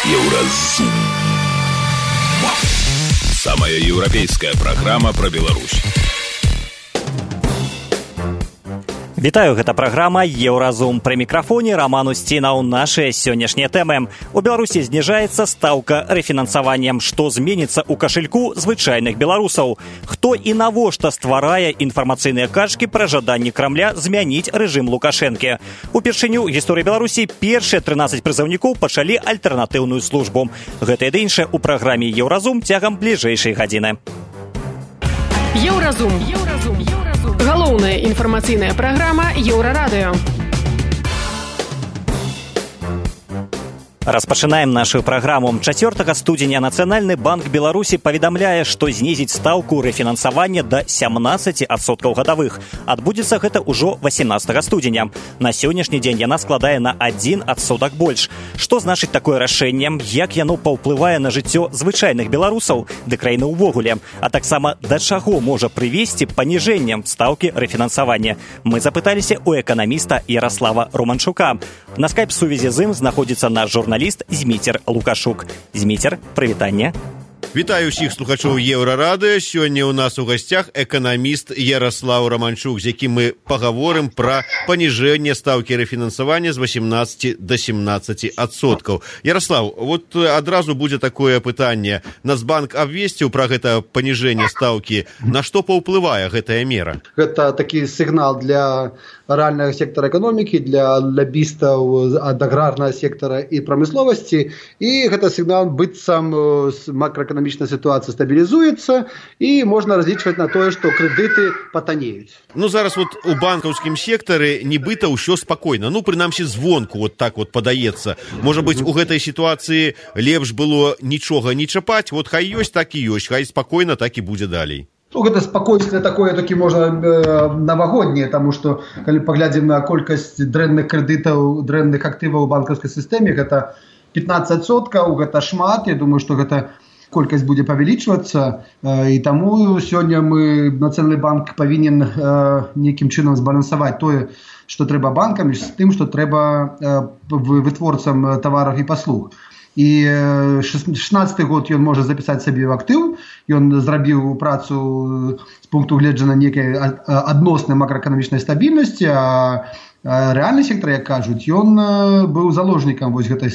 Еўразум. Самая еўрапейская праграма пра Беларусь. Вітаю, гэта праграма «Еўразум». Пры мікрафоне Роман Устінаў. Нашыя сённяшнія тэмы. У Беларусі зніжаецца стаўка рэфінансаваннем. Што зменіцца ў кашельку звычайных беларусаў? Хто і навошта стварае інфармацыйныя качкі пра жаданні Крамля змяніць рэжым Лукашэнкі? Упершыню ў гісторыі Беларусі першыя 13 прызыўнікоў пачалі альтэрнатыўную службу. Гэта і іншае ў праграме «Еўразум» цягам бліжэйшай гадзіны. Еўразум. Галоўная інфармацыйная праграма Еўрарадыё. Распачынаем нашу праграму. 4 студзеня Нацыянальны банк Беларусі паведамляе, што знізіць стаўку рэфінансавання да 17% гадавых. Адбудзецца гэта ўжо 18 студзеня. На сённяшні дзень яна складае на 1% больш. Што значыць такое рашэнне? Як яно паўплывае на жыццё звычайных беларусаў ды краіны ўвогуле? А таксама да чаго можа прывесці паніжэннем стаўкі рэфінансавання? Мы запыталіся ў эканаміста Яраслава Романчука. На скайп-сувязі з ім знаходзіцца наш журналіст Зміцер Лукашук. Зміцер, прывітанне. Вітаю ўсіх слухачоў Еўрарадыё. Сёння ў нас у гасцях эканаміст Яраслав Романчук, з якім мы пагаворым пра паніжэнне стаўкі рэфінансавання з 18 до 17%. Яраслав, вот адразу будзе такое пытанне. Нацбанк абвесціў пра гэта паніжэнне стаўкі. На што паўплывае гэтая мера? Гэта такі сігнал для рэальнага сектара эканомікі, для лабістаў ад аграрнага сектара і прамысловасці. І гэта сігнал быццам макроэканамічная сітуацыя стабілізуецца і можна разлічваць на тое, што крэдыты патанеюць. Ну, зараз вот у банкаўскім сектары нібыта ўсё спакойна. Ну, прынамсі, звонку вот так вот падаецца. Можа быць, у гэтай сітуацыі лепш было нічога не чапаць. Вот хай ёсць, так і ёсць. Хай спакойна, так і будзе далей. Ну, гэта спакойствие такое, такі можна навагодняе, таму што, калі паглядзім на колькасць дрэнных крэдытаў, дрэнных актываў у банкаўскай сістэме, гэта 15%, гэта шмат. Я думаю, што гэта колькасць будзе павялічвацца, і таму сёння мы, Нацыянальны банк, павінен нейкім чынам збалансаваць тое, што трэба банкам, з тым, што трэба вытворцам тавараў і паслуг. І 16 год ён можа запісаць сабе ў актыў, ён зрабіў працу з пункту гледжання нейкай адноснай макроэканамічнай стабільнасці, а рэальны сектар, як кажуць, ён быў заложнікам вось гэтай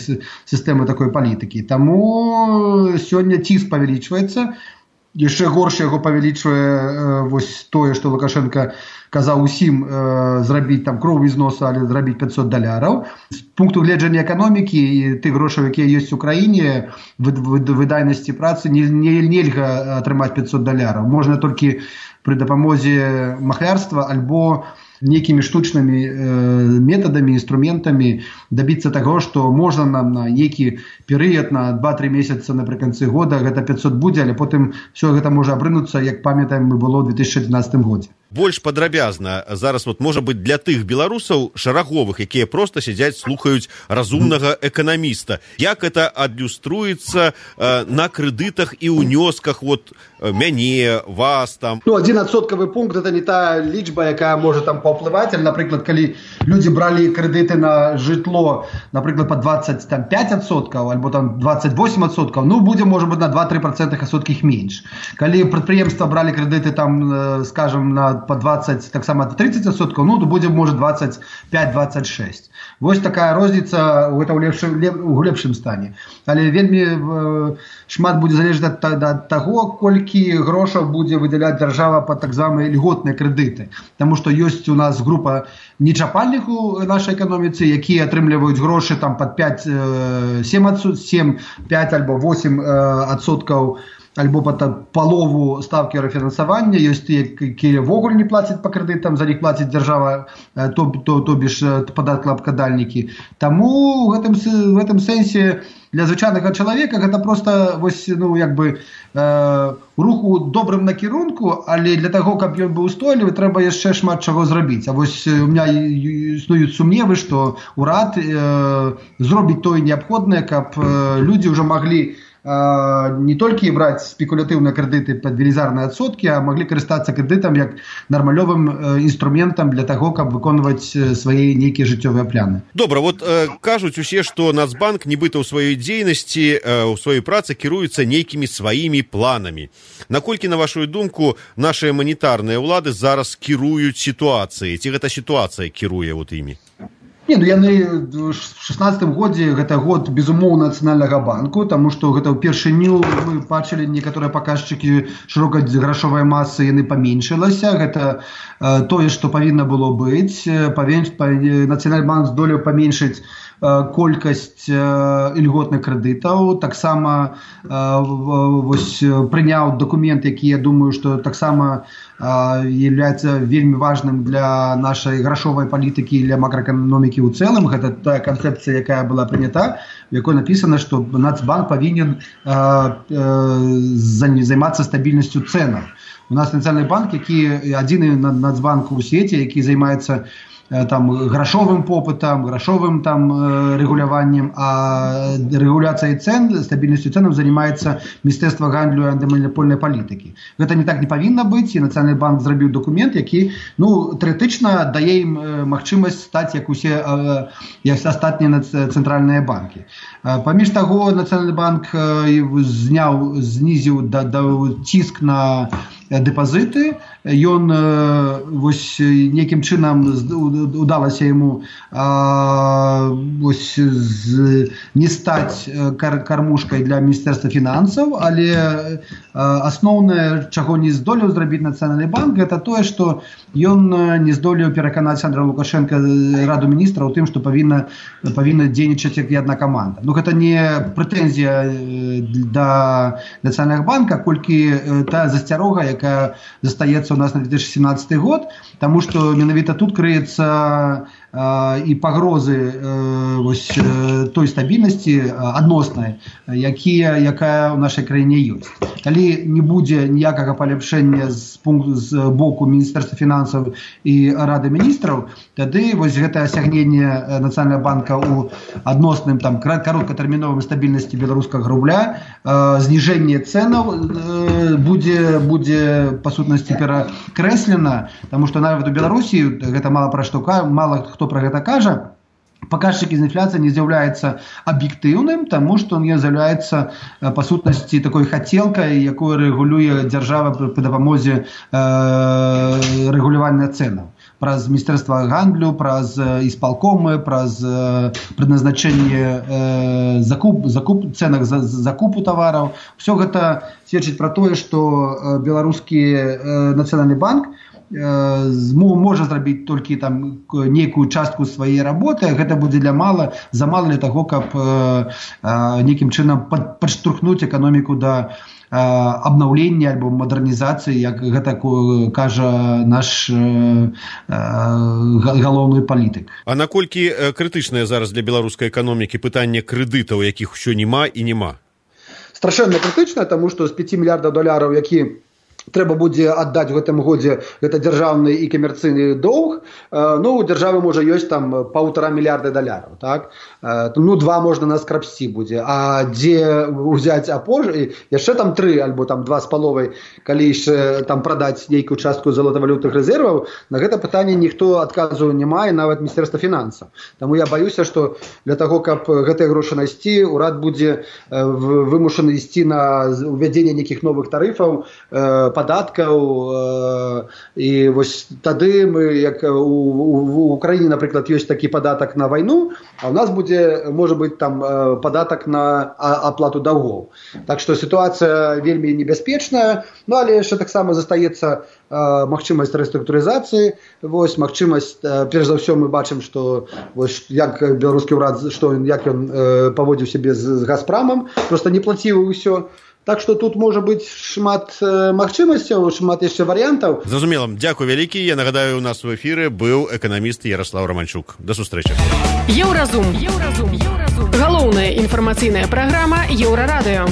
сістэмы такой палітыкі. Таму сёння ціск павялічваецца, яшчэ горш яго павялічвае вось тое, што Лукашенко казаў усім зрабіць там кровы зносу, але зрабіць $500. З пункту гледжання эканомікі і тых грошаў, якія ёсць у краіне, выдайнасці працы нельга атрымаць $500. Можна толькі пры дапамозе махлярства альбо нейкімі штучнымі метадамі, інструментамі дабіцца таго, што можна нам на нейкі перыяд, на 2-3 месяца напрыканцы года гэта 500 будзе, але потым все гэта можа абрынуцца, як памятаем, мы было ў 2011 годзе. Больш падрабязна зараз вот можа быць для тых беларусаў шараговых, якія проста сядзяць, слухаюць разумнага эканаміста. Як это адлюструецца на крэдытах і ўнёсках вот мяне, вас там? Ну, 1% пункт это не та лічба, якая можа там паўплываць. Напрыклад, калі людзі бралі крэдыты на жытло, напрыклад, па 25% альбо там 28%, ну будзе можа быць на 2-3% асоткіх менш. Калі прадпрыемства бралі крэдыты там, скажем, на по 20, так само 30%, ну, то будзе, можа, 25-26. Вось такая розніца ў лепшым стане. Але вельмі шмат будзе залежаць ад таго, колькі грошаў будзе выдаляць дзяржава пад так званыя льготныя крэдыты. Таму што ёсць у нас група нечапальных у нашай эканоміцы, якія атрымліваюць грошы там пад 5, 5 альбо 8% альбо палову ставкі рэфінансавання. Ёсць тыя, якія ввогуле не плацяць па крэдытам, за них плаціць дзяржава, то бишь падаткаабкладальнікі. Таму в гэтым сэнсе для звычайнага чалавека гэта просто вось, ну, як бы рух у добрым накірунку, але для таго, каб ён быў устойлівы, трэба яшчэ шмат чаго зрабіць. А вось у меня існуюць сумневы, што ўрад зробіць тое неабходнае, каб людзі ўжо маглі не толькі браць спекулятыўныя крэдыты пад велізарныя адсоткі, а маглі карыстацца крэдытам як нармалёвым інструментам для таго, каб выконваць свае нейкія жыццёвыя пляны. Добра, вот кажуць усе, што Нацбанк нібыта ў сваёй дзейнасці, у сваёй працы кіруецца нейкімі сваімі планамі. Наколькі, на вашу думку, нашыя манетарныя ўлады зараз кіруюць сітуацыяй? Ці гэта сітуацыя кіруе вот імі? Не, ну яны в 16-м годзе, гэта год, безумоўна, Нацыянальнага банку, таму што гэта ўпершыню мы бачылі некаторыя паказчыкі шырокай грашовай масы, яны паменшылася. Гэта тое, што павінна было быць. Нацыянальны банк здолеў паменшыць колькасць ільготных крэдытаў, таксама прыняў дакумент, які, я думаю, што таксама является вельмі важным для нашай грашовай палітыкі, для макроэканомікі ў цэлым. Гэта тая канцэпцыя, якая была прынята, в якой напісана, што Нацбанк павінен займацца стабільнасцю цэнаў. У нас Нацыянальны банк, які адзіны Нацбанк у свеце, які займаецца там грашовым попытам, грашовым там рэгуляваннем, а рэгуляцыяй цен, стабільнасцю цэнаў займаецца Міністэрства гандлю і антыманапольнай палітыкі. Гэта не так не павінна быць, і Нацыянальны банк зрабіў дакумент, які, тэарэтычна дае ім магчымасць стаць як усе астатнія цэнтральныя банкі. Паміж таго, Нацыянальны банк знізіў ціск на дэпазіты. Ён некім чынам удалася яму не стаць кармушкай для Міністэрства фінансаў, але асноўнае, чаго не здолеў зрабіць Нацыянальны банк, гэта тое, што ён не здолеў пераканаць Андрэя Лукашенка Раду міністраў у тым, што павінна дзейнічаць як адна каманда. Гэта не прэтэнзія да Нацыянальнага банка, колькі тая засцярога, якая застаецца у нас на 2017 год, таму што менавіта тут крыецца і пагрозы той стабільнасці адноснай, якая ў нашай краіне ёсць. Калі не будзе ніякага паляпшэння з боку Міністэрства фінансаў і Рады міністраў, тады гэтае асягненне Нацыянальнага банка ў адносным кароткатэрміновым стабільнасці беларускага рубля, зніжэнне цэнаў будзе па сутнасці перакрэслена, таму што нават у Беларусі гэта мала хто пра гэта кажа. Паказчык інфляцыі не з'яўляецца аб'ектыўным, таму што ён з'яўляецца па сутнасці такой хацелкай, якую рэгулюе дзяржава пры дапамозе рэгулявання цэнаў. Праз Міністэрства гандлю, праз ісполкомы, праз прызначэнне цэнах за закупу тавараў. Усё гэта сведчыць пра тое, што беларускі Нацыянальны банк можа зрабіць толькі нейкую частку сваёй работы. Гэта будзе замала для таго, каб нейкім чынам падштурхнуць эканоміку да абнаўлення альбо мадэрнізацыі, як гэта кажа наш галоўны палітык. А наколькі крытычнае зараз для беларускай эканомікі пытанне крэдытаў, якіх усё няма і няма? Страшэнна крытычна, таму што з 5 мільярдаў долараў, які трэба будзе аддаць у гэтым годзе, гэта дзяржаўны і камерцыйны доўг. У дзяржавы можа ёсць $1,5 мільярда, так? 2 можна на скрабсці будзе. А дзе ўзяць яшчэ 3 альбо 2,5, калі яшчэ прадаць нейкую частку залатавалютных рэзерваў, на гэта пытанне ніхто адказу не мае, нават Міністэрства фінансаў. Таму я баюся, што для таго, каб гэтыя грошы найсці, урад будзе вымушаны ісці на увядзенне нейкіх новых тарыфаў, падаткаў, і тады мы, як у Украіне, напрыклад, ёсць такі падатак на вайну, а ў нас можа быць падатак на аплату даўгоў. Так што сітуацыя вельмі небяспечная, але яшчэ таксама застаецца магчымасць рэструктурызацыі, магчымасць, перш за ўсё мы бачым, што як беларускі ўрад, як ён паводзіў сябе з Газпрамам, проста не плаціў ўсё. Так што тут можа быць шмат магчымасцяў, шмат яшчэ варыянтаў. Зразумела. Дзякуй вялікі. Я нагадаю, у нас у эфіры быў эканаміст Яраслаў Раманчук. Да сустрэчы. Еўразум. Галоўная інфармацыйная праграма Еўрарадыё.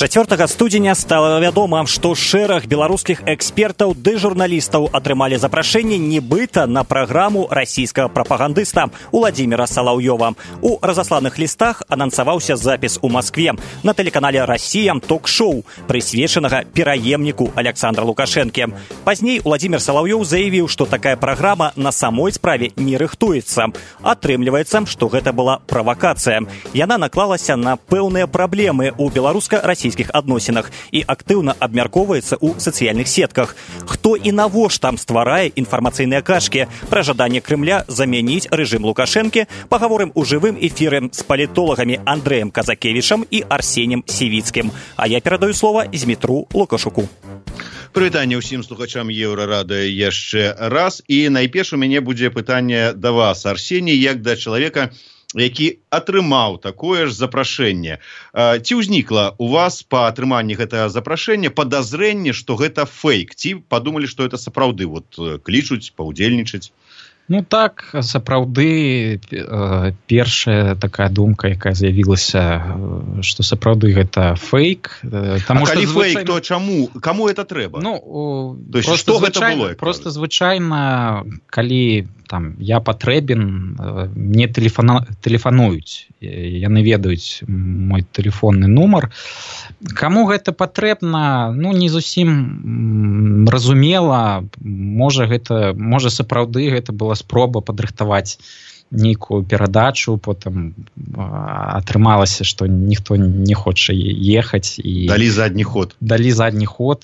4 студзеня стала вядома, што шэраг беларускіх экспертаў ды журналістаў атрымалі запрашэнне нібыта на праграму расійскага прапагандыста Уладзіміра Салаўёва. У разасланых лістах анансаваўся запіс у Маскве на тэлеканале «Расія» ток-шоу, прысвечанага пераемніку Александра Лукашэнкі. Пазней Уладзімір Салаўёў заявіў, што такая праграма на самой справе не рыхтуецца. Атрымліваецца, што гэта была правакацыя. Яна наклалася на пэўныя праблемы ў беларуска-расійскіх адносінах і актыўна абмяркоўваецца ў сацыяльных сетках. Хто і навошта там стварае інфармацыйныя кашкі пра жаданне Крымля замяніць рэжым Лукашэнкі, пагаворым у жывым эфіры з палітолагамі Андрэем Казакевічам і Арсенем Сівіцкім. А я перадаю слова Змітру Лукашуку. Прывітанне ўсім слухачам Еўрарадыё яшчэ раз. І найперш у мяне будзе пытанне да вас, Арсеній, як да чалавека, які атрымаў такое ж запрашэнне. Ці ўзнікла у вас па атрыманні гэтага запрашэння падазрэнне, што гэта фейк? Ці падумалі, што гэта сапраўды клічуць паўдзельнічаць? Ну так, сапраўды першая такая думка, якая з'явілася, што сапраўды гэта фейк. Таму, калі фейк, то чаму? Каму гэта трэба? Ну, просто звычайна, калі там я патрэбен, мне тэлефануюць, яны ведаюць мой тэлефонны нумар. Каму гэта патрэбна, ну не зусім разумела, можа сапраўды гэта была спроба падрыхтаваць нейкую перадачу, потым атрымалася, што ніхто не хоча ехаць і далі задні ход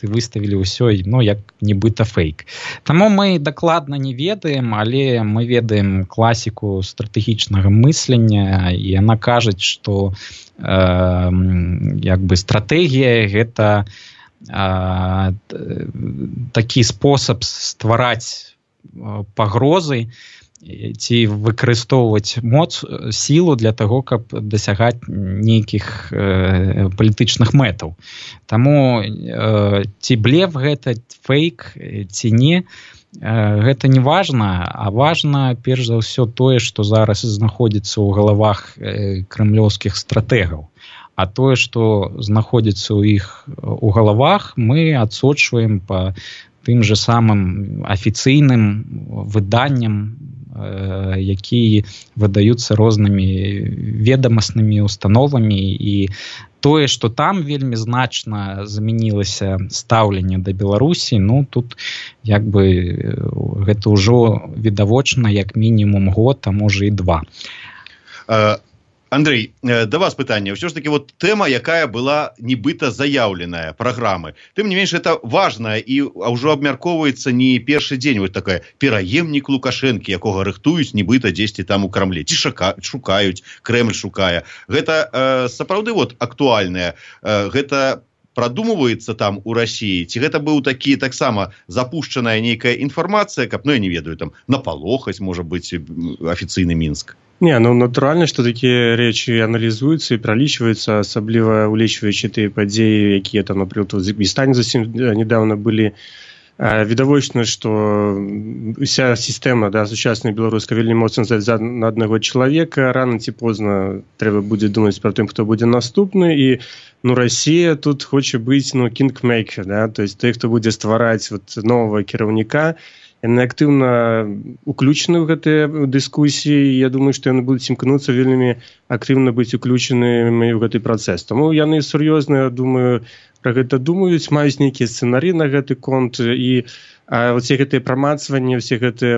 і выставілі ўсё, ну, як нібыта фейк. Таму мы дакладна не ведаем, але мы ведаем класіку стратэгічнага мыслення, і яна кажуць, што як бы стратэгія гэта такі спосаб ствараць пагрозы ці выкарыстоўваць сілу для таго, каб дасягаць нейкіх палітычных мэтаў. Таму ці блеф гэта, фейк ці не, гэта не важна, а важна перш за ўсё тое, што зараз знаходзіцца ў галавах крэмлёўскіх стратэгаў. А тое, што знаходзіцца ў іх у галавах, мы адсочваем па тым же самым афіцыйным выданням, якія выдаюцца рознымі ведамаснымі установамі, і тое, што там вельмі значна змянілася стаўленне да Беларусі, ну тут як бы гэта ўжо відавочна як мінімум год, а можа і 2. Андрей, да вас пытанне. Ўсё ж таки тэма, якая была нібыта заяўленая, праграмы. Тым не менш, это важна і ўжо абмяркоўваецца не першы дзень. Такая пераемнік Лукашэнкі, якога рыхтуюць нібыта дзесьці там у Крамле. Ці шукаюць, Крэмль шукае. Гэта сапраўды актуальнае. Гэта прадумваецца там у Расіі? Ці гэта быў такі таксама запушчаная нейкая інфармацыя, каб, я не ведаю, там напалохаць, можа быць, афіцыйны Мінск? Не, натуральна, што такія рэчы аналізуюцца і пралічваюцца, асабліва улічваючы тыя падзеі, якія там, напрыклад, у Узбекістане зусім нядаўна былі. Відавочна, што уся сістэма сучасная беларуска вельмі моцна завязана на аднаго чалавека. Рана ці позна трэба будзе думаць пра тым, хто будзе наступны. І Расія тут хоча быць кінгмейкер, то есть той, хто будзе ствараць новага кіраўніка. Яны актыўна уключаны ў гэтыя дыскусіі. Я думаю, што яны будуць імкнуцца вельмі актыўна быць уключанымі ў гэты працэс. Таму яны сур'ёзна, думаю, пра гэта думаюць, маюць нейкія сцэнарыі на гэты конт, і все гэтыя прамацванні, все гэтыя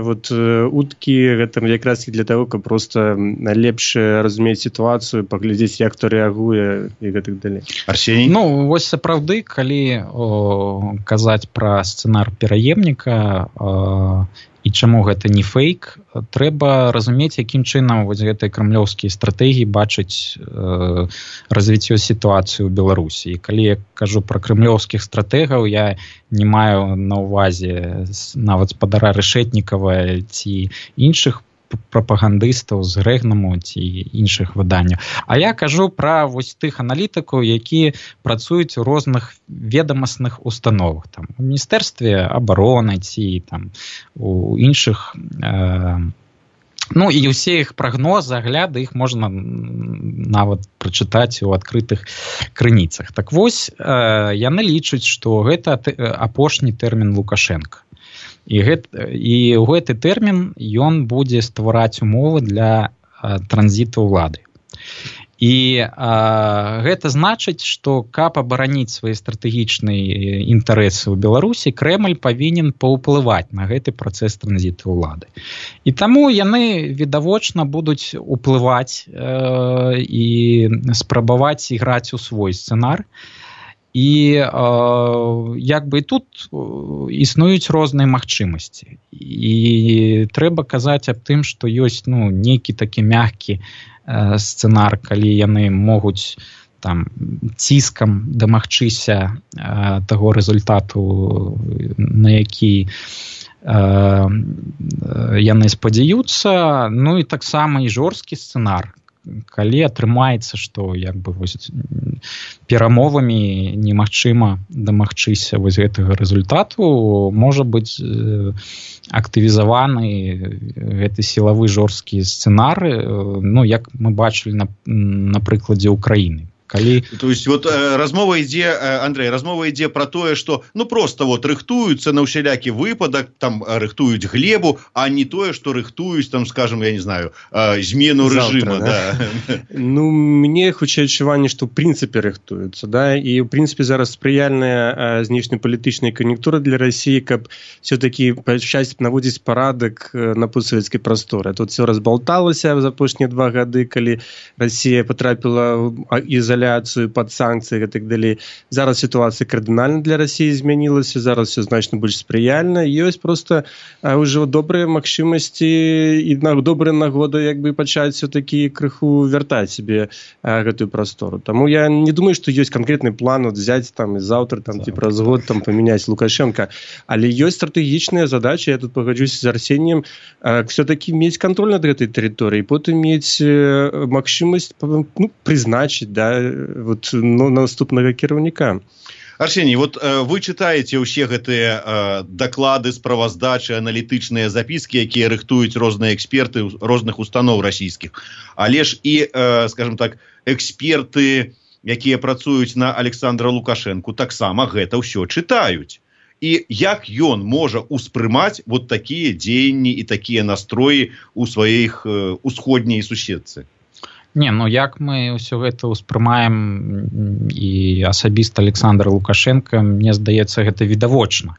уткі, гэта якраз і для таго, каб проста лепш разумець сітуацыю, паглядзець, як хто рэагуе і гэтак далей. Арсеній? Ну, вось сапраўды, калі казаць пра сцэнар пераемніка і чаму гэта не фейк, трэба разумець, якім чынам гэтыя крамлёўскія стратэгіі бачаць развіццё сітуацыі ў Беларусі. І калі я кажу пра крамлёўскіх стратэгаў, я не маю на ўвазе нават спадара Рашэтнікава ці іншых прапагандыстаў з Рэгнаму ці іншых выданняў. А я кажу пра тых аналітыкаў, якія працуюць у розных ведамасных установах. Там, у Міністэрстве абароны ці там, у іншых Ну і ўсе іх прагнозы, агляды, іх можна нават прачытаць у адкрытых крыніцах. Так вось, яны лічаць, што гэта апошні тэрмін Лукашенка. І ў гэты тэрмін ён будзе ствараць умовы для транзіту ўлады. І гэта значыць, што каб абараніць свае стратэгічныя інтарэсы ў Беларусі, Крэмль павінен паўплываць на гэты працэс транзіту ўлады. І таму яны відавочна будуць уплываць і спрабаваць іграць у свой сцэнар. І як бы тут існуюць розныя магчымасці. І трэба казаць аб тым, што ёсць нейкі такі мяккі сцэнар, калі яны могуць там ціскам дамагчыся таго рэзультату, на які яны спадзяюцца. Ну і таксама і жорсткі сцэнар, калі атрымаецца, што як бы вось перамовамі немагчыма дамагчыся вось гэтага рэзультату, можа быць актывізаваны гэты сілавы жорсткі сцэнар, як мы бачылі на прыкладзе Украіны. То есть вот размова ідзе, Андрей, размова ідзе про тое, што просто вот рыхтуюцца на ўсялякі выпадак, там рыхтуюць глебу, а не тое, што рыхтуюць там, скажем, я не знаю, змену рэжыма. Да? Ну, мне хутчэй адчуванне, што ў прынцыпе рыхтуюцца, да, і ў прынцыпе зараз спрыяльная знешнепалітычная кан'юнктура для России, каб все-таки пачаць наводзіць парадак на постсавецкай прасторы. Тут все разбалталася за апошнія 2 гады, калі Россия потрапіла ў под санкцыі і так далей. Зараз сітуацыя кардынальна для России змянілася, зараз все значна больш спрыяльна. Ёсць просто ўжо добрыя магчымасці і добрая нагода як бы пачаць все-таки крыху вяртаць себе гэтую прастору. Таму я не думаю, што ёсць канкрэтны план взять там і заўтра там ці праз год там памяняць Лукашенко, але ёсць стратэгічныя задачи. Я тут пагаджуся з Арсением, все-таки мець контроль над гэтай тэрыторыяй, потым мець магчымасць прызначыць, да, вот, наступнага кіраўніка. Арсений, вот вы читаете ўсе гэтыя даклады, справаздачы, аналітычныя запіскі, якія рыхтуюць розныя эксперты розных устаноў расійскіх. Але ж і, скажем так, эксперты, якія працуюць на Александра Лукашенку, таксама гэта ўсё чытаюць. І як ён можа успрымаць вот такія дзеянні і такія настроі у сваіх усходняй суседцы? Не, як мы ўсё гэта ўспрымаем і асабіста Александр Лукашенко, мне здаецца, гэта відавочна.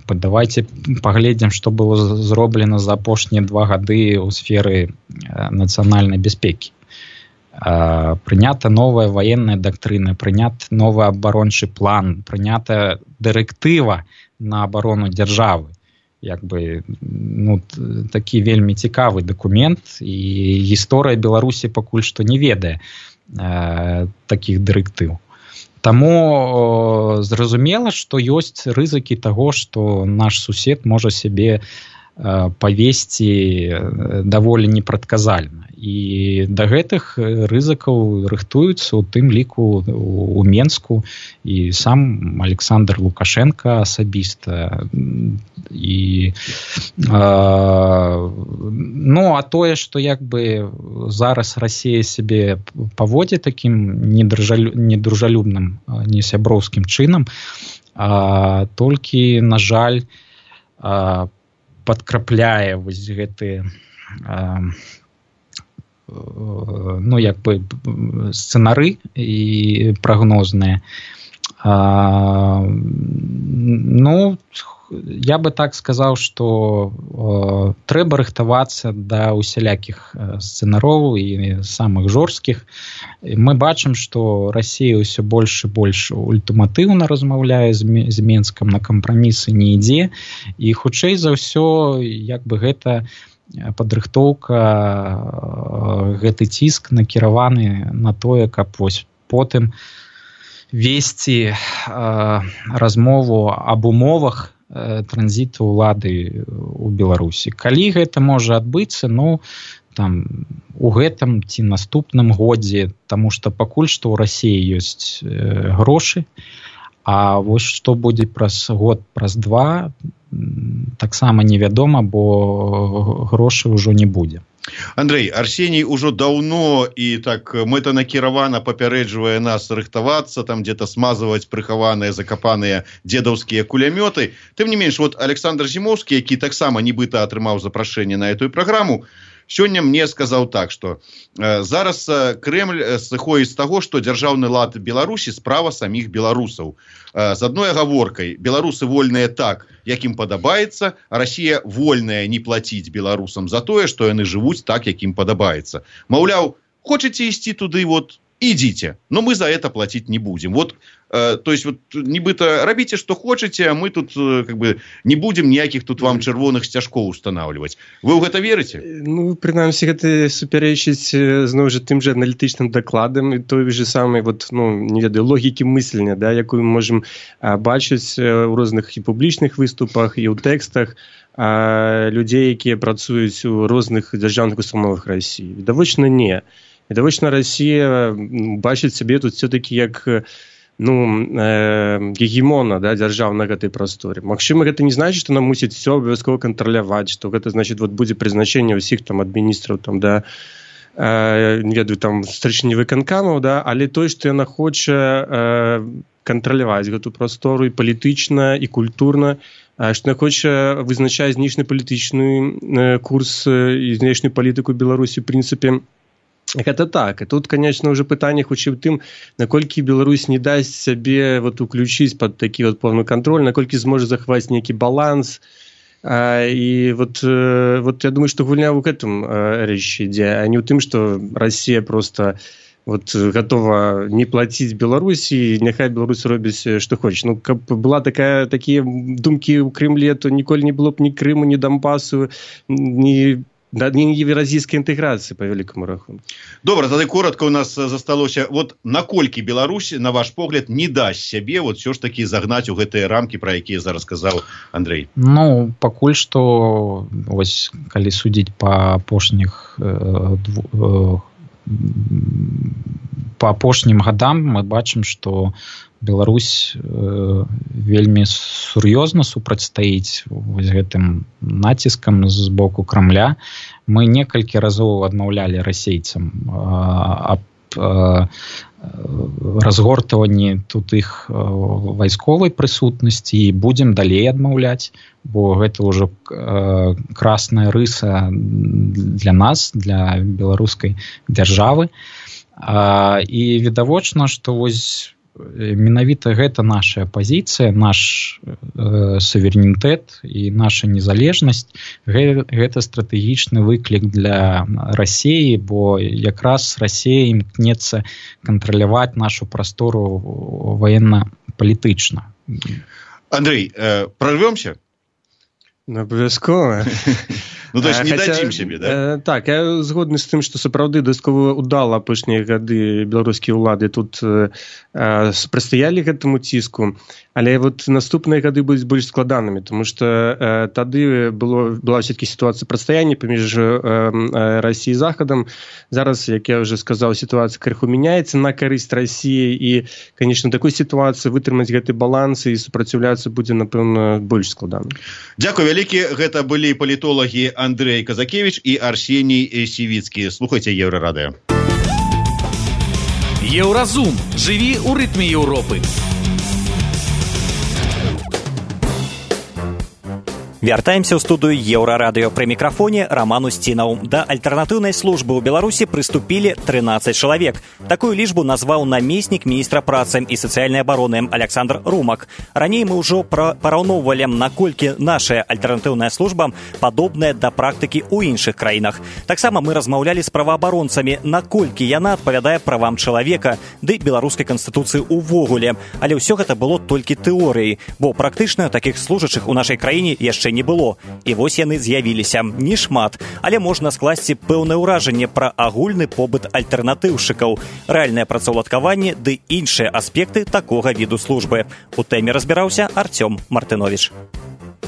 Давайте паглядзім, што было зроблена за апошнія 2 гады ў сферы нацыянальнай бяспекі. Прынята новая ваенная дактрына, прынят новы абарончы план, прынята дырэктыва на абарону дзяржавы. Як бы, такі вельмі цікавы дакумент, і гісторыя Беларусі пакуль што не ведае такіх дырэктыў. Таму зразумела, што ёсць рызыкі таго, што наш сусед можа сябе павесці даволі непрадказальна. І да гэтых рызыкаў рыхтуюцца, у тым ліку у Менску, і сам Александр Лукашенко асабіста. І, а тое, што як бы зараз Расія сябе паводзі такім недружалюбным, несяброўскім чынам, толькі, на жаль, падкрапляе вось гэтыя як бы сцэнары і прагнозныя. Я бы так сказаў, што трэба рыхтавацца да усялякіх сцэнароў і самых жорсткіх. Мы бачым, што Расія ўсё больш і больш ультыматыўна размаўляе з Менскам, на кампрамісы не ідзе, і хутчэй за ўсё як бы гэта падрыхтоўка, гэты ціск накіраваны на тое, каб вось потым весці размову аб умовах транзіту ўлады ў Беларусі. Калі гэта можа адбыцца, там у гэтым ці наступным годзе, таму што пакуль што ў Расіі ёсць грошы, А вось што будзе праз год, праз два, таксама невядома, бо грошай ужо не будзе. Андрей, Арсений уже давно и так мэтанакіравана папярэджвае нас рыхтавацца, там где-то смазывать прыхаваныя, закапаныя дедаўскія кулямёты. Тым не менш, вот Александр Зимовский, які таксама нібыта атрымаў запрашэнне на эту праграму, сёння мне сказаў так, што зараз Крэмль сыходзіць з таго, што дзяржаўны лад Беларусі справа саміх беларусаў. З адной агаворкай: беларусы вольныя так, як ім падабаецца, а Расія вольная не плаціць беларусам за тое, што яны жывуць так, як ім падабаецца. Маўляў, хочаце ісці туды, вот ідзіце, но мы за это платить не будем. Вот, то есть, вот, нібыта рабіце, што хочаце, а мы тут как бы не будем ніякіх тут вам чырвоных сцяжкоў устанавливать. Вы ў гэта верыце? Ну, прынамсі, гэта супярэчыць зноў жа тым жа аналітычным дакладам і той же самай, вот, ну, не ведаю, логікі мыслення, да, якую мы можем бачыць у розных і публічных выступах, і ў тэкстах людзей, якія працуюць у розных дзяржаўных установах Расіі. Відавочна, не. Відавочна, Расія бачыць сябе тут все-таки як гегемона, да, дзяржаў на гэтай прасторе. Магчыма, гэта не значыць, што нам мусіць все абавязкова кантраляваць, што гэта значыць, вот будзе прызначэнне ўсіх там адміністраў, там, да, не ведаю, там старшыні выканкамаў, да, але той, што яна хоча кантраляваць гэту прастору і палітычна, і культурна, што яна хоча вызначаць знешнепалітычны курс і знешнюю палітыку Беларусі, в прынцыпе, гэта так. І тут, конечно, уже пытанне хутчэй у тым, наколькі Беларусь не дасць сябе вот уключыць пад такі вот повны кантроль, наколькі зможа захваць нейкі баланс. І вот я думаю, што гульня ў гэтым рэч ідзе, а не ў тым, што Расія просто вот готова не плаціць Беларусі, няхай Беларусь робіць што хоча. Ну, каб была такія думкі ў Крэмлі, то ніколі не было б ні Крыму, ні Донбасу, ні евразійскай інтэграцыі, па вялікаму рахунку. Добра, тады коротка у нас засталося. Вот наколькі Беларусь, на ваш погляд, не дасць сябе вот все ж таки загнаць у гэтыя рамкі, пра якія зараз сказаў Андрей? Ну, пакуль што, вось, калі судзіць па апошнім гадам, мы бачым, што Беларусь вельмі сур'ёзна супрацьстаіць вось гэтым націскам з боку Крамля. Мы некалькі разоў адмаўлялі расейцам аб разгортванні тут іх вайсковай прысутнасці і будзем далей адмаўляць, бо гэта ўжо красная рыса для нас, для беларускай дзяржавы. І відавочна, што вось менавіта гэта наша пазіцыя, наш суверэнітэт і наша незалежнасць, гэта стратэгічны выклік для Расіі, бо якраз Расія імкнецца кантраляваць нашу прастору военно-палітычна. Андрей, прорвемся? Абавязкова. Ну, то есть не дадзім сябе, да? Так, я згодны з тым, што сапраўды дастаткова удала апошнія гады беларускія ўлады тут супрацьстаялі гэтаму ціску, але вот наступныя гады будуць больш складанымі, тому што тады была все-таки сітуацыя пратстаяння паміж Расіяй і Захадам. Зараз, як я уже сказаў, сітуацыя крыху мяняецца на карысць Расіі, і, конечно, такой сітуацыі вытрымаць гэты баланс і супраціўляцца будзе, напэўна, больш складана. Дзякуй вялікі. Гэта былі палітолагі Андрей Казакевич і Арсеній Сівіцкі. Слухайце Еўрарадыё. Еўразум. Жыві ў рытме Еўропы. Вяртаемся ў студыю Еўрарадыё. Пры мікрафоне Роман Устінаў. Да альтэрнатыўнай службы ў Беларусі прыступілі 13 чалавек. Такую лічбу назваў намеснік міністра працы і сацыяльнай абароны Александр Румак. Раней мы ўжо параўноўвалі, наколькі наша альтэрнатыўная служба падобная да практыкі ў іншых краінах. Таксама мы размаўлялі з праваабаронцамі, наколькі яна адпавядае правам чалавека ды беларускай канстытуцыі ўвогуле. Але ўсё гэта было толькі тэорыяй, бо практычна такіх служачых у нашай краіне яшчэ не было. І вось яны з'явіліся. Не шмат, але можна скласці пэўнае ўражанне пра агульны побыт альтэрнатыўшчыкаў, рэальнае працаўладкаванне ды іншыя аспекты такога віду службы. У тэме разбіраўся Артём Мартынович.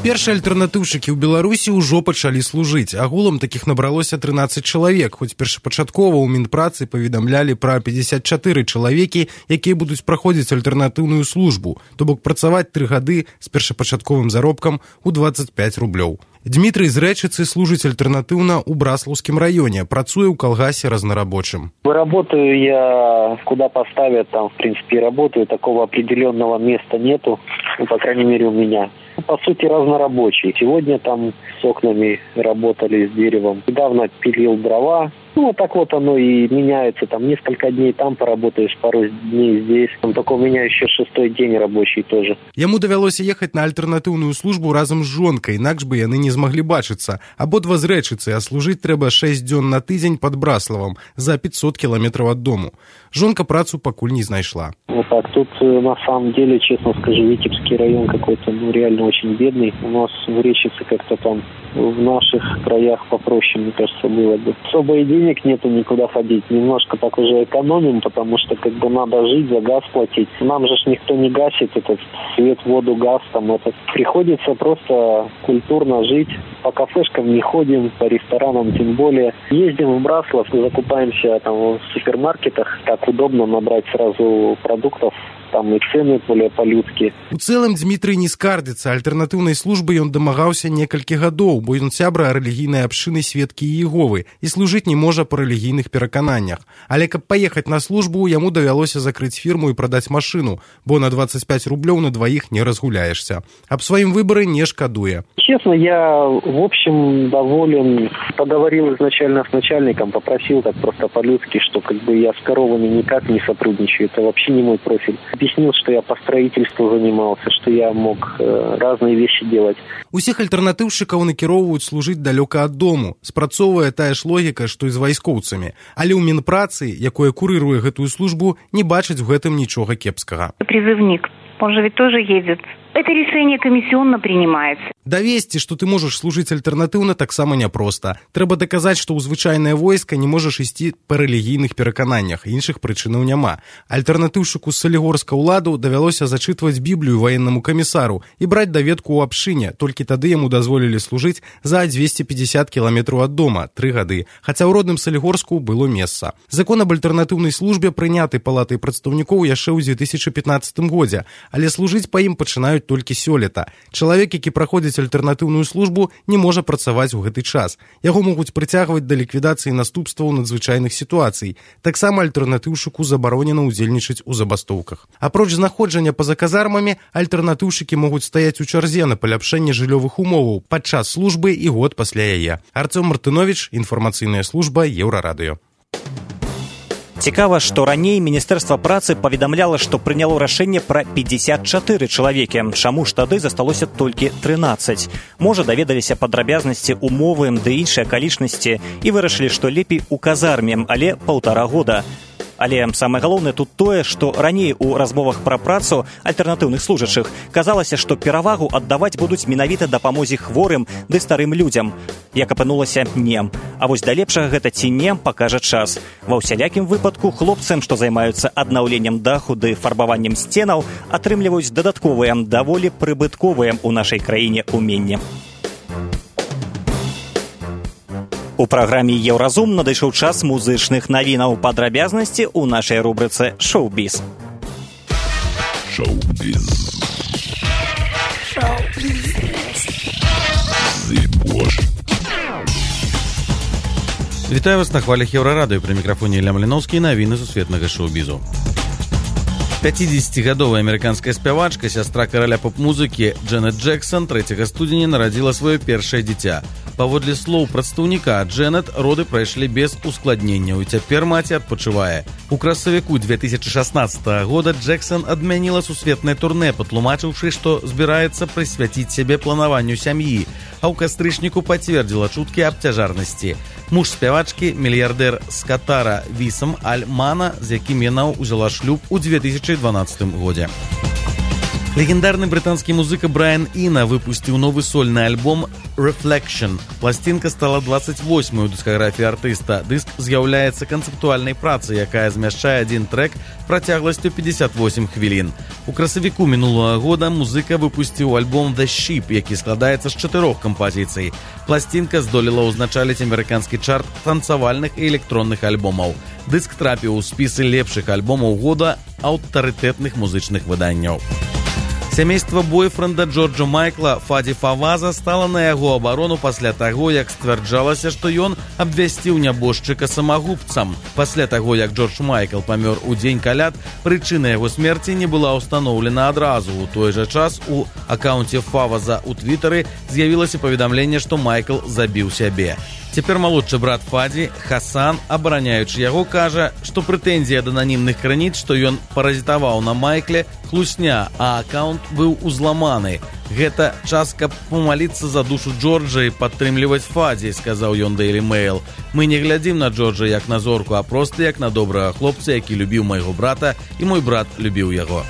Першыя альтэрнатыўшчыкі ў Беларусі ўжо пачалі служыць. Агулам такіх набралося 13 чалавек, хоць першапачаткова ў Мінпрацы паведамлялі пра 54 чалавекі, якія будуць праходзіць альтэрнатыўную службу, то бок працаваць 3 гады з першапачатковым заробкам у 25 рублёў. Дмітрый з Рэчыцы служыць альтэрнатыўна ў Браслаўскім раёне, працуе ў калгасе разнарабочым. Работаю я куда поставят, там в принципе работаю, такого определенного места нету, ну, по крайней мере у меня. По сути разнорабочий. Сегодня там с окнами работали, с деревом. Недавно пилил дрова. Ну, вот так вот оно и меняется. Там несколько дней там поработаешь, пару дней здесь. Там только у меня еще 6-й день рабочий тоже. Яму давялося ехаць на альтэрнатыўную службу разам з жонкай, інакш бы яны не змаглі бачыцца. Абодва з Рэчыцы, а служыць трэба 6 дзён на тыдзень пад Браславам, за 500 кілометраў ад дому. Жонка працу пакуль не знайшла. Вот так, тут на самом деле, честно скажу, Витебский район какой-то, ну, реально очень бедный. У нас в Речице как-то там в наших краях попроще, мне кажется, было бы. Особо и денег нету никуда ходить. Немножко так уже экономим, потому что как бы надо жить, за газ платить. Нам же никто не гасит этот свет, воду, газ. Там это. Приходится просто культурно жить. По кафешкам не ходим, по ресторанам тем более. Ездим в Браслав, закупаемся там в супермаркетах. Так удобно набрать сразу продуктов. Там и цены более по-людски. У цэлым Дмітрый не скардзіцца. Альтэрнатыўнай службы ён дамагаўся некалькі гадоў, бо ён сябра рэлігійнай абшчыны Сведкі Іеговы і служыць не можа па рэлігійных перакананнях. Але каб паехаць на службу, яму давялося закрыць фірму і прадаць машыну, бо на 25 рублёў на дваіх не разгуляешься. Аб сваім выбары не шкадуе. Честно, я в общем доволен. Поговорил изначально с начальником, попросил так просто по-людски, что как бы я с коровами никак не сотрудничаю, это вообще не мой профиль. Объяснил, что я по строительству занимался, что я мог разные вещи делать. Усіх альтэрнатыўшчыкаў накіроўваюць служыць далёка ад дому. Спрацоўвае тая ж логіка, што і з вайскоўцамі. Але ў Мінпрацы, якое курыруе гэтую службу, не бачыць у гэтым нічога кепскага. Призывник, он же ведь тоже едет. Это решение комиссионно принимается. Давесці, што ты можаш служыць альтэрнатыўна, таксама няпроста. Трэба даказаць, што ў звычайнае войска не можаш ісці па рэлігійных перакананнях, іншых прычынаў няма. Альтэрнатыўшчыку з салігорска ўладу давялося зачытваць Біблію ваеннаму камісару і браць даведку ў абшчыне, толькі тады яму дазволілі служыць за 250 кіламетраў ад дома, 3 гады, хаця ў родным Салігорску было месца. Закон аб альтэрнатыўнай службе прыняты палатай прадстаўнікоў яшчэ ў 2015 годзе, але служыць па ім пачынаюць толькі сёлета. Чалавек, які праходзіць альтэрнатыўную службу, не можа працаваць у гэты час. Яго могуць прыцягваць да ліквідацыі наступстваў надзвычайных сітуацый. Таксама альтэрнатыўшчыку забаронена ўдзельнічаць у забастоўках. Апроч знаходжання па-за казармамі, альтэрнатыўшчыкі могуць стаяць у чарзе на паляпшэнне жыллёвых умоваў падчас службы і год пасля яе. Арцём Мартынович, інфармацыйная служба Еўрарадыё. Цікава, што раней Міністэрства працы паведамляла, што прыняло рашэнне пра 54 чалавекі. Чаму ж тады засталося толькі 13? Можа, даведаліся падрабязнасці, умовы ды іншыя акалічнасці і вырашылі, што лепей у казарме, але 1,5 года. Але самае галоўнае тут тое, што раней у размовах пра працу альтэрнатыўных служачых казалася, што перавагу аддаваць будуць менавіта дапамозе хворым ды старым людзям. Як апынулася, не. А вось да лепшага гэта ці не, пакажа час. Ва ўсялякім выпадку хлопцам, што займаюцца аднаўленнем даху ды фарбаваннем сценаў, атрымліваюць дадатковыя, даволі прыбытковыя ў нашай краіне уменні. У праграме «Еўразум» надышоў час музычных навінаў. Падрабязнасці ў нашай рубрыцы «Шоу-біз». Шоу-біз. Вітаю вас на хвалях Еўрарадыё. Пры мікрафоне Ілля Маліноўскі, навіны сусветнага шоу-бізу. 50-гадовая амерыканская спявачка, сястра караля поп-музыкі Джэнет Джексон 3 студзеня нарадзіла сваё першае дзіця. Паводле слоў прадстаўніка, Джэнет роды прайшлі без ускладненняў і цяпер маці адпачывае. У красавіку 2016 года Джексон адмяніла сусветнае турнэ, патлумачыўшы, што збіраецца прысвяціць сябе планаванню сям'і, а ў кастрычніку пацвердзіла чуткі аб цяжарнасці. Муж спявачкі, мільярдэр з Катара Вісам Аль-Мана, з якім яна ўзяла шлюб у 2012 годзе. Легендарный британский музыка Брайан Іна выпустил новый сольный альбом Reflection. Пластинка стала 28-й у дыскаграфіі артыста. Дыск з'яўляецца канцэптуальнай працай, якая змяшчае один трек працягласцю 58 хвілін. У красавіку мінулага года музыка выпусціў альбом The Sheep, які складаецца з 4 кампазіцый. Пластинка здолела ўзначаліць амерыканскі чарт танцавальных і электронных альбомаў. Дыск трапіў у спісы лепшых альбомаў года аўтарытэтных музычных выданняў. Сямейства бойфренда Джорджа Майкла Фаді Фаваза стала на яго абарону пасля таго, як сцвярджалася, што ён абвясціў нябожчыка самагубцам. Пасля таго, як Джордж Майкл памёр у дзень каляд, прычына яго смерці не была ўстаноўлена адразу. У той жа час у акаунце Фаваза ў Твітары з'явілася паведамленне, што Майкл забіў сябе. Цяпер малодшы брат Фаді, Хасан, абараняючы яго, кажа, што прэтэнзія ад ананімных крыніц, што ён паразітаваў на Майкле, хлусня, а акаунт быў узламаны. Гэта час, каб помаліцца за душу Джорджа і падтрымліваць Фаді, сказаў ён Daily Mail. Мы не глядзім на Джорджа як на зорку, а проста як на добрага хлопца, які любіў майго брата, і мой брат любіў яго.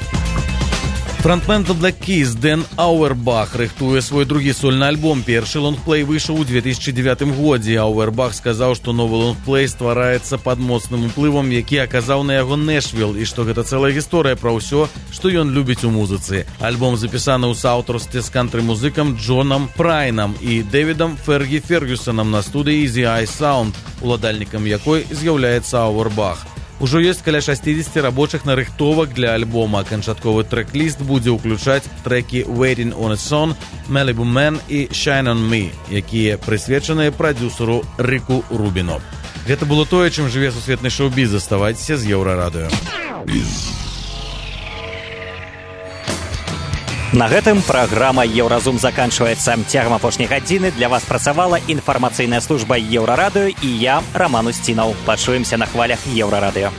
Фронтмен The Black Keys Дэн Ауэрбах рыхтуе свой другі сольны альбом. Першы лонгплей выйшаў у 2009 годзе. Ауэрбах сказаў, што новы лонгплей ствараецца пад моцным уплывам, які аказаў на яго Нэшвилл, і што гэта цэлая гісторыя пра ўсё, што ён любіць у музыцы. Альбом запісаны ў саўтарстве з кантры-музыкам Джонам Прайнам і Дэвідам Фергі Фергюсонам на студыі Easy Eye Sound, уладальнікам якой з'яўляецца Ауэрбах. Ужо ёсць каля 60 рабочых нарыхтовак для альбома. Канчатковы трэк-ліст будзе ўключаць трэкі Waiting on a Song, Malibu Man і Shine on Me, якія прысвечаныя прадюсеру Рыку Рубіну. Гэта было тое, чым жыве сусветны шоу-біз. Заставайцеся з Еўрарадыё. На гэтым праграма «Еўразум» заканчваецца. Цягам апошняй гадзіны для вас працавала інфармацыйная служба Еўрарадыё і я, Роман Устінаў. Пачуемся на хвалях Еўрарадыё.